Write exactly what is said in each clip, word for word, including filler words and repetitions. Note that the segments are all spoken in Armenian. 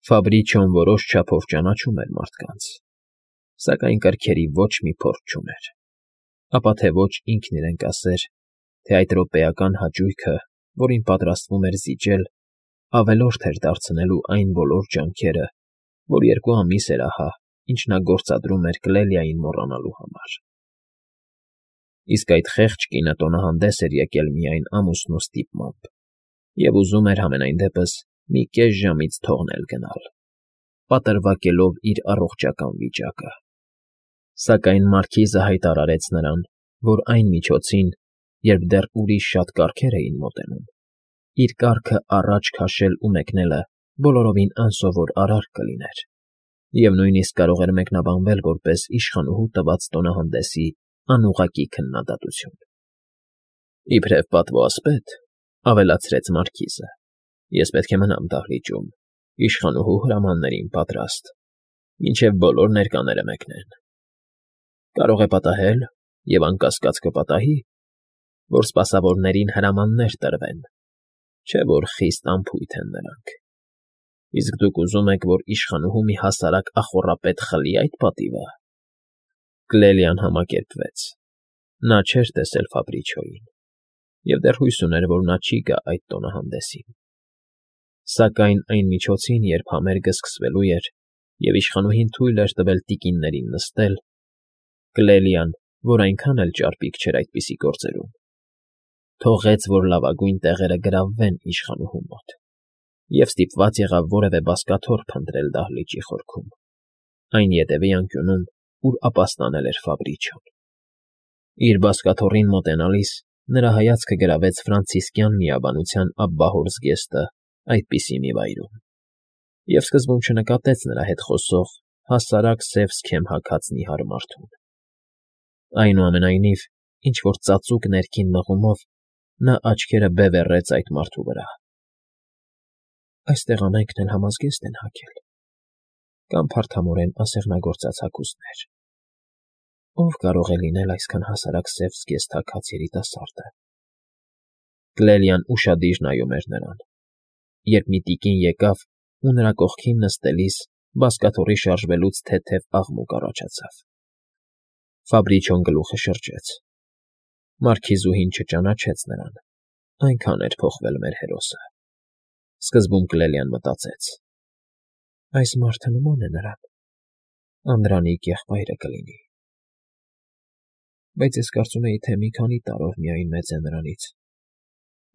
Ֆաբրիչոն որոշ չափով ճանաչում էր մարդկանց, սակայն կրքերի ոչ մի փորձ չուներ, ապա թե ոչ ինքն իրեն կասեր, թե այդ րոպեական հաճույքը, որին պատրաստվում էր զիջել, ավելորդ էր դարձնելու այն բոլոր ջանքերը, որ երկու ամիս էր ահա, ինչ նա գործադրում էր Կլելիային մոռանալու համար։ Իսկ այդ խեղճ կինը տոնահանդես էր եկել միայն ամուսնու ստիպմամբ և ուզում էր համենայն դեպս մի կես ժամից թողնել գնալ, պատրվակելով իր առողջական վիճակը։ Սակայն մարգիզը հայտարարեց նրան, որ այն միջոցին, երբ դեռ ուրիշ շատ կառքեր էին մոտենում, իր կառքը առաջ քաշել ու մեկնելը բոլորովին անսովոր արարք կլիներ և նույնիսկ կարող էր մեկնաբանվել որպես իշխանուհու տված տոնահանդեսի անուղղակի քննադատություն։ «Իբրև պատվո ասպետ,֊ ավելացրեց մարգիզը,֊ ես պետք է մնամ դահլիճում, իշխանուհու հրամաններին պատրաստ, մինչև բոլոր ներկաները մեկնեն։ Կարող է պատահել, և անկասկած կպատահի, որ սպասավորներին հրամաններ տրվեն, չէ՞ որ խիստ անփույթ են նրանք։ Իսկ դուք ուզում եք, որ իշխանուհու մի հասարակ ախոռապետ խլի այդ պատիվը»։ Կլելիան համակերպվեց. նա չէր տեսել Ֆաբրիչոյին և դեռ հույս ուներ, որ նա չի գա այդ տոնահանդեսին։ Սակայն այն միջոցին, երբ համերգը սկսվելու էր և իշխանուհին թույլ էր տվել տիկիններին նստել, Կլելիան, որ այնքան էլ ճարպիկ չէր այդպիսի գործերում, թողեց, որ լավագույն տեղերը գրավվեն իշխանուհու մոտ և ստիպված եղավ որևէ բազկաթոռ փնտրել դահլիճի խորքում, այն ետևի անկյունում, ուր ապաստանել էր Ֆաբրիչոն։ Իր բազկաթոռին մոտենալիս նրա հայացքը գրավեց ֆրանցիսկյան միաբանության աբբահոր զգեստը այդպիսի մի վայրում և սկզբում չնկատեց նրա հետ խոսող հասարակ սև սքեմ հագած նիհար մարդուն։ Այնուամենայնիվ, ինչ֊որ ծածուկ ներքին մղումով նա աչքերը բևեռեց այդ մարդու վրա։ «Այստեղ ամենքն էլ համազգեստ են հագել կամ փարթամորեն ասեղնագործած հագուստներ. ով կարող է լինել այսքան հասարակ սև զգեստ հագած երիտասարդը»։ Կլելիան ուշադիր նայում էր նրան, երբ մի տիկին եկավ ու նրա կողքին նստելիս բազկաթոռի շարժվելուց թեթև աղմուկ առաջացավ։ Ֆաբրիչոն գլուխը շրջեց. մարգիզուհին չճանաչեց նրան, այնքան էր փոխվել մեր հերոսը։ Սկզբում Կլելիան մտածեց. այս մարդը նման է նրան, Անդրանիկ եղբայրը կլինի։ Բայց ես կարծում էի, թե մի քանի տարով միայն մեծ է նրանից,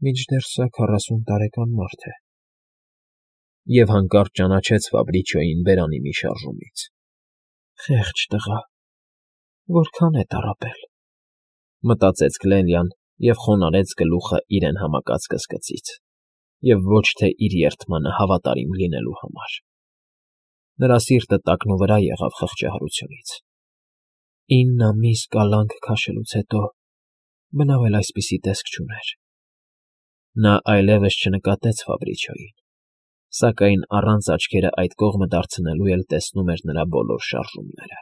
մինչդեռ սա քառասուն տարեկան մարդ է։ Եվ հանկարծ ճանաչեց Ֆաբրիչոյին բերանի մի շարժումից։ «Խեղճ տղա, որքա՜ն է տառապել», մտածեց Կլելիան և խոնարհեց գլուխը իրեն համակած կսկծից և ոչ թե իր երդմանը հավատարիմ լինելու համար։ Նրա սիրտը տակնուվրա եղավ խղճահարությունից։ Ինն ամիս կալանք քաշելուց հետո բնավ էլ այսպիսի տեսք չուներ։ Նա այլևս չնկատեց Ֆաբրիչոյին, սակայն առանց աչքերը այդ կողմը դարձնելու էլ տեսնում էր նրա բոլոր շարժումները։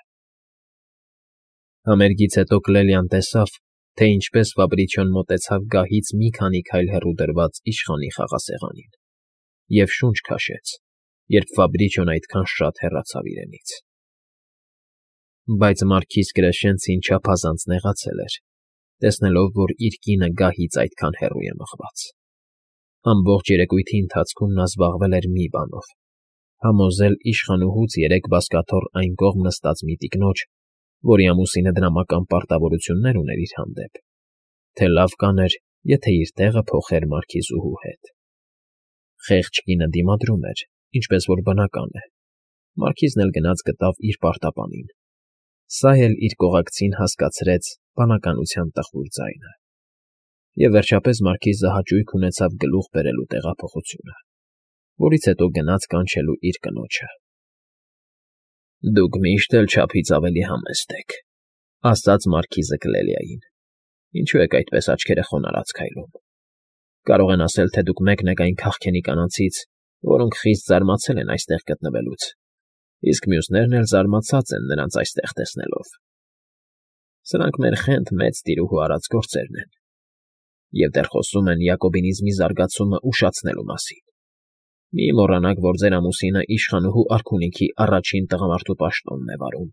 Համերգից հետո Կլելիան տեսավ, թե ինչպես Ֆաբրիչոն մոտեցավ գահից մի քանի քայլ հեռու դրված իշխանի խաղասեղանին և շունչ քաշեց, երբ Ֆաբրիչոն այդքան շատ հեռացավ իրենից։ Բայց մարգիզ Կրեշենցին չափազանց նեղացել էր, տեսնելով, որ իր կինը գահից այդքան հեռու է մղված։ Ամբողջ երեկույթի ընթացքում նա զբաղվել էր մի բանով՝ համոզել իշխանուհուց երեք բազկաթոռ այն կողմ նստած մի տիկնոջ, որի ամուսինը դրամական պարտավորություններ ուներ իր հանդեպ, թե լավ կաներ, եթե իր տեղը փոխեր մարգիզուհու հետ։ Խեղճ կինը դիմադրում էր, ինչպես որ բնական է։ Մարգիզն էլ գնաց գտավ իր պարտապանին։ Սա էլ իր կողակցին հասկացրեց բանականության տխուր ձայնը։ Եվ վերջապես մարգիզը հաճույք ունեցավ գլուխ բերելու տեղափոխությունը, որից հետո գնաց կանչելու իր կնոջը։ «Դուք միշտ էլ չափից ավելի համեստ եք,֊ ասաց մարգիզը Կլելիային։ Ինչու եք այդպես աչքերը խոնարհած քայլում։ Կարող են ասել, թե դուք մեկն եք այն քաղքենի կանանցից, որոնք խիստ զարմացել են այստեղ գտնվելուց, իսկ մյուսներն էլ զարմացած են նրանց այստեղ տեսնելով։ Սրանք մեր խենթ մեծ տիրուհու արած գործերն են, և դեռ խոսում են յակոբինիզմի զարգացումը ուշացնելու մասին։ Մի մոռանաք, որ ձեր ամուսինը իշխանուհու արքունիքի առաջին տղամարդու պաշտոնն է վարում,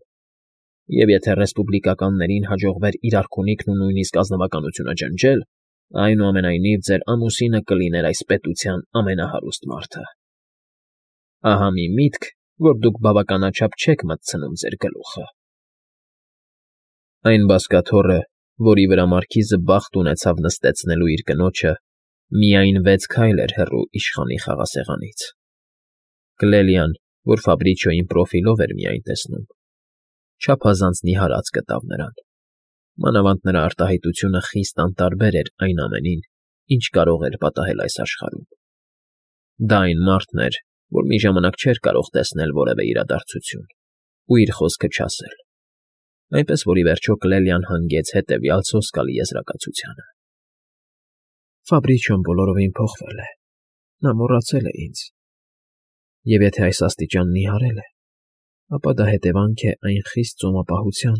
և եթե ռեսպուբլիկականներին հաջողվեր իր արքունիքն ու նույնիսկ ազնվականությունը ջնջել, այնուամենայնիվ ձեր ամուսինը կլիներ այս պետության ամենահարուստ մարդը։ Ահա մի միտք, որ դուք բավականաչափ չեք մտցնում ձեր գլուխը։ Այն բազկաթոռը, որի վրա մարքիզը բախտ ունեցավ նստեցնելու իր կնոջը, միայն վեց քայլ էր հեռու իշխանի խաղասեղանից։ Կլելիան, որ Ֆաբրիչոյին պրոֆիլով էր միայն տեսնում, չափազանց նիհարած գտավ նրան, մանավանդ նրա արտահայտությունը խիստ անտարբեր էր այն ամենին, ինչ կարող էր պատահել այս աշխարհում։ Դա այն մարդն էր, որ մի ժամանակ չէր կարող տեսնել որևէ իրադարձություն ու իր խոսքը չասել, այնպես որ ի վերջո Կլելիան հանգեց հետևյալ սոսկալի եզրակացությանը. Ֆաբրիչոն բոլորովին փոխվել է, նա մոռացել է ինձ, և եթե այս աստիճան նիհարել է, ապա դա հետևանք է այն խիստ ծոմապահության,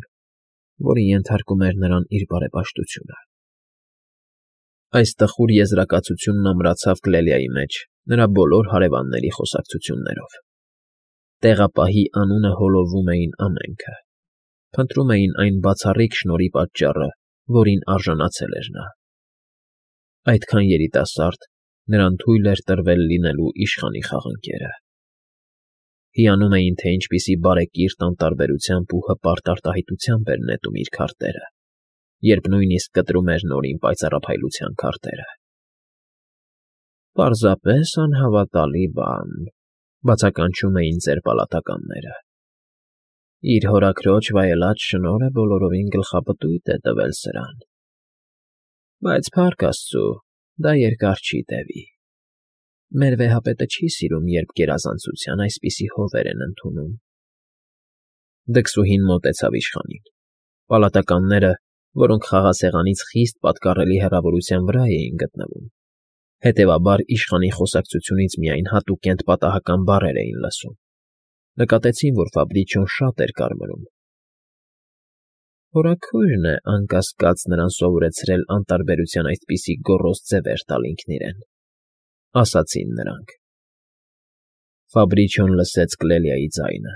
որին ենթարկում էր նրան իր բարեպաշտությունը։ Այս տխուր եզրակացությունն ամրացավ Կլելիայի մեջ նրա բոլոր հարևանների խոսակցություններով։ Տեղապահի անունը հոլովում էին ամենքը, փնտրում էին այն բացառիկ շնորհի պատճառը, որին արժանացել էր նա։ Այդքան երիտասարդ նրան թույլ էր տրվել լինելու իշխանի խաղընկերը։ Հիանում էին, թե ինչպիսի բարեկիրթ անտարբերությամբ ու հպարտ արտահայտությամբ էր նետում իր քարտերը, երբ նույնիսկ կտրում էր նորին պայծառափայլության քարտերը։ Պարզապես անհավատալի բան, բացականչում էին ձեր պալատականները։ Իր հորաքրոջ վայելած շնորհը բոլորովին գլխապտույտ է տվել սրան։ Բայց փառք աստծո, դա երկար չի տևի։ Մեր վեհապետը չի սիրում, երբ գերազանցության այսպիսի հովեր են ընդունում։ Դքսուհին մոտեցավ իշխանին։ Պալատականները, որոնք խաղասեղանից խիստ պատկառելի հեռավորության վրա էին գտնվում, հետևաբար իշխանի խոսակցությունից միայն հատուկենտ պատահական բառեր էին լսում, նկատեցին, որ Ֆաբրիչոն շատ էր կարմրում։ Հորաքույրն է, անկասկած, նրան սովորեցրել անտարբերության այդպիսի գոռոզ ձևեր տալ ինքն իրեն, ասացին նրանք։ Ֆաբրիչոն լսեց Կլելիայի ձայնը։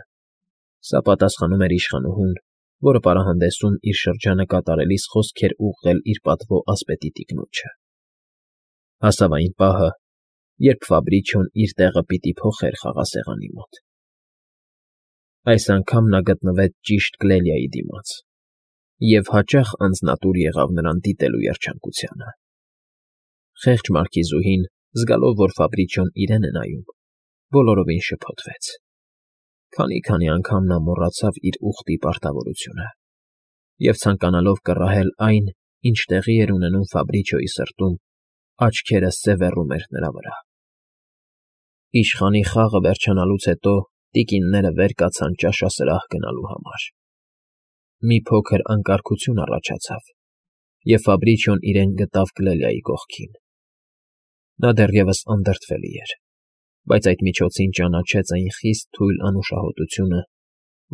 Սա պատասխանում էր իշխանուհուն, որը պարահանդեսում իր շրջանը կատարելիս խոսք էր ուղղել իր պատվո ասպետի տիկնոջը։ Հասավ այն պահը, երբ Ֆաբրիչոն իր տեղը պիտի փոխեր խաղասեղանի մոտ։ Այս անգամ նա գտնվեց ճիշտ Կլելիայի դիմաց, և հաճախ անձնատուր եղավ նրան դիտելու երջանկությանը։ Խեղճ մարքիզուհին, զգալով, որ Ֆաբրիչոն իրեն է նայում, բոլորովին շփոթվեց։ Քանի֊քանի անգամ նա մոռացավ իր ուխտի պարտավորությունը և, ցանկանալով կռահել այն, ինչ տեղի էր ունենում Ֆաբրիչոյի սրտում, աչքերը սևեռում էր նրա վրա։ Իշխանի խաղը վերջանալուց հետո տիկինները վեր կացան ճաշասրահ գնալու համար։ Մի փոքր անկարգություն առաջացավ, և Ֆաբրիչոն իրեն գտավ Կլելիայի կողքին։ Նա դեռևս անդրդվելի էր, բայց այդ միջոցին ճանաչեց այն խիստ թույլ անուշահոտությունը,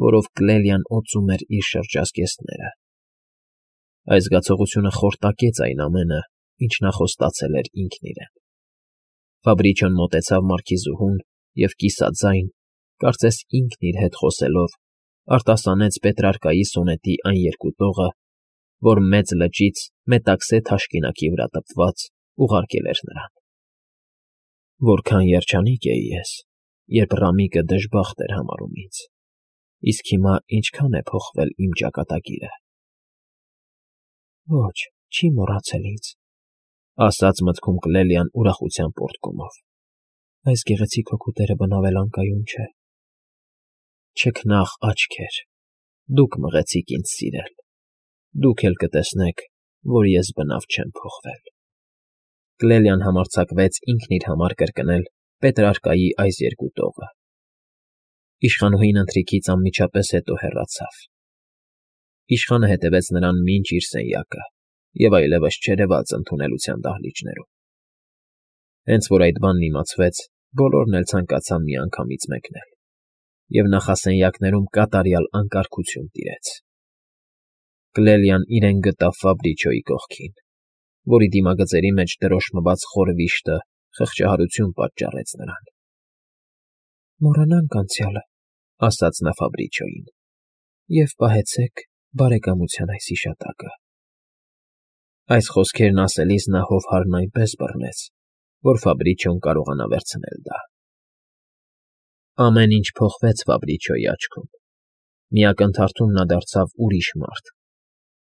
որով Կլելիան օծում էր իր շրջազգեստները։ Այս զգացողությունը խորտակեց այն ամենը, ինչ նա խոստացել էր ինքն իրեն։ Ֆաբրիչոն մոտեցավ մարքիզուհուն և կիսաձայն, կարծես ինքն իր հետ խոսելով, արտասանեց Պետրարկայի սոնետի այն երկու տողը, որ մեծ լճից Մետաքսե թաշկինակի վրա տպված ուղարկել էր նրան։ Որքան երջանիկ էի ես, երբ Ռամիկը դժբախտ էր համարում ինձ, իսկ հիմա ինչքան է փոխվել իմ ճակատագիրը։ Ոչ, չի մոռացել ինձ, ասաց մտքում Կլելիան ուրախության պոռթկումով։ Այս գեղեցիկ հոգուտերը բնավել անկայուն չէ։ Չքնաղ աչքեր, դուք մղեցիք ինձ սիրել, դուք էլ կտեսնեք, որ ես բնավ չեմ փոխվել։ Կլելիան համարձակվեց ինքն իր համար կրկնել Պետրարկայի այս երկու տողը։ Իշխանուհին ընթրիքից անմիջապես հետո հեռացավ։ Իշխանը հետևեց նրան մինչ իր սենյակը և այլևս չերևաց ընդունելության դահլիճներում։ Հենց որ այդ բանն իմացվեց, բոլորն էլ ցանկացան միանգամից մեկնել, և նախասենյակներում կատարյալ անկարգություն տիրեց։ Կլելիան իրեն գտավ Ֆաբրիչոյի կողքին, որի դիմագծերի մեջ դրոշմված խոր վիշտը խղճահարություն պատճառեց նրան։ Մոռանանք անցյալը, ասաց նա Ֆաբրիչոյին, և պահեցեք բարեկամության այս հիշատակը։ Այս խոսքերն ասելիս նա հովհարն այնպես բռնեց, որ Ֆաբրիչոն կարողանա վերցնել դա։ Ամեն ինչ փոխվեց Ֆաբրիչոյի աչքում. մի ակնթարթում նա դարձավ ուրիշ մարդ,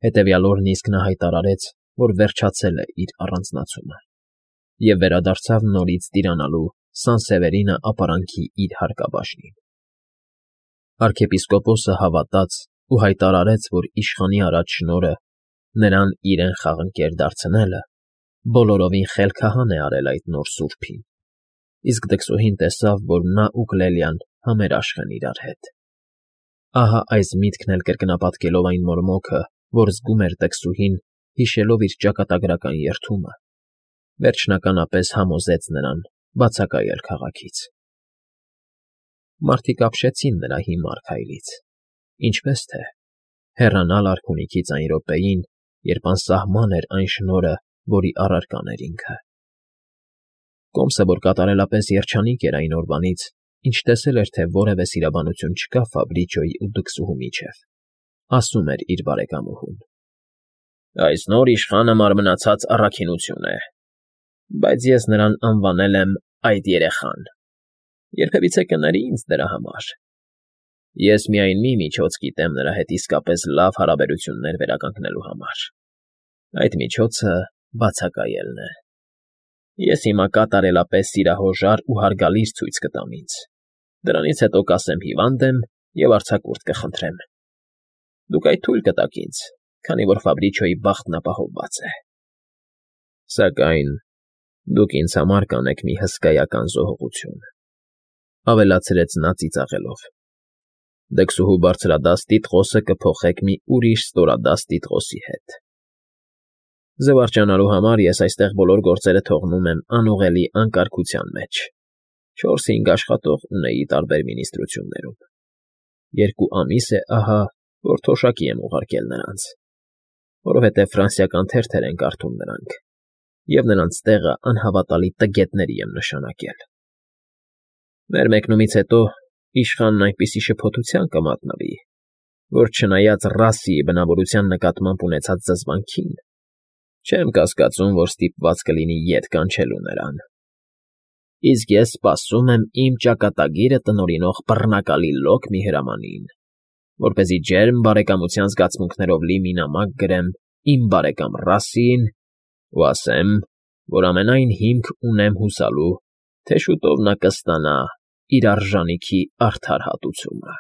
հետևյալ օրն իսկ նա հայտարարեց, որ վերջացել է իր առանձնացումը, և վերադարձավ նորից տիրանալու Սան֊Սևերինը ապարանքի իր հարկաբաժնին։ Արքեպիսկոպոսը հավատաց ու հայտարարեց, որ իշխանի առաջ շնորհը, նրան իրեն խաղընկեր դարձնելը, բոլորովին խելքահան է արել այդ նոր սուրբին, իսկ դքսուհին տեսավ, որ նա ու Կլելիան համերաշխ են իրար հետ։ Ահա այս միտքն էլ կրկնապատկելով այն մորմոքը, որ զգում էր դքսուհին, հիշելով իր ճակատագրական երդումը, վերջնականապես համոզեց նրան բացակայել քաղաքից։ Մարդիկ ապշեցին նրա հիմար քայլից, ինչպես թե հեռանալ արքունիքից այն րոպեին, երբ անսահման էր այն շնորհը, որի առարկան էր ինքը։ Կոմսը, որ կատարելապես երջանիկ էր այն օրվանից, ինչ տեսել էր, թե որևէ սիրաբանություն չկա Ֆաբրիչոյի ու դքսուհու միջև, ասում էր իր բարեկամուհուն. «Այս նոր իշխանը մարմնացած առաքինություն է, բայց ես նրան անվանել եմ այդ երեխան. երբևիցե կների ինձ դրա համար։ Ես միայն մի միջոց գիտեմ նրա հետ իսկապես լավ հարաբերություններ վերականգնելու համար. այդ միջոցը բացակայելն է։ Ես հիմա կատարելապես սիրահոժար ու հարգալից ցույց կտամ ինձ, դրանից հետո կասեմ հիվանդ եմ և արձակուրդ կխնդրեմ։ Դուք այդ թույլ կտաք ինձ, քանի որ Ֆաբրիչոյի բախտն ապահովված է։ Սակայն դուք ինձ համար կանեք մի հսկայական զոհողություն», ավելացրեց նա ծիծաղելով։ «Դքսուհու բարձրադաստի տղոսը կփոխեք մի ուրիշ ստորադաստի տղոսի հետ։ Զվարճանալու համար ես այստեղ բոլոր գործերը թողնում եմ անուղելի անկարգության մեջ, չորս֊հինգ աշխատող ունեի տարբեր մինիստրություններում։ Երկու ամիս է ահա, որ թոշակի եմ ուղարկել նրանց, որովհետև ֆրանսիական թերթեր են կարդում նրանք, և նրանց տեղը անհավատալի տգետների եմ նշանակել։ Մեր մեկնումից հետո իշխանն այնպիսի շփոթության կմատնվի, որ չնայած ռասիի բնավորության նկատմամբ ունեցած զզվանքին, չեմ կասկածում, որ ստիպված կլինի ետ կանչելու նրան։ Իսկ ես սպասում եմ իմ ճակատագիրը տնօրինող բռնակալի լոկ մի հրամանին, որպեսզի ջերմ բարեկամության զգացմունքներով լի մի նամակ գրեմ իմ բարեկամ Ռասիին ու ասեմ, որ ամենայն հիմք ունեմ հուսալու, թե շուտով նա կստանա իր արժանիքի արդար հատուցումը»։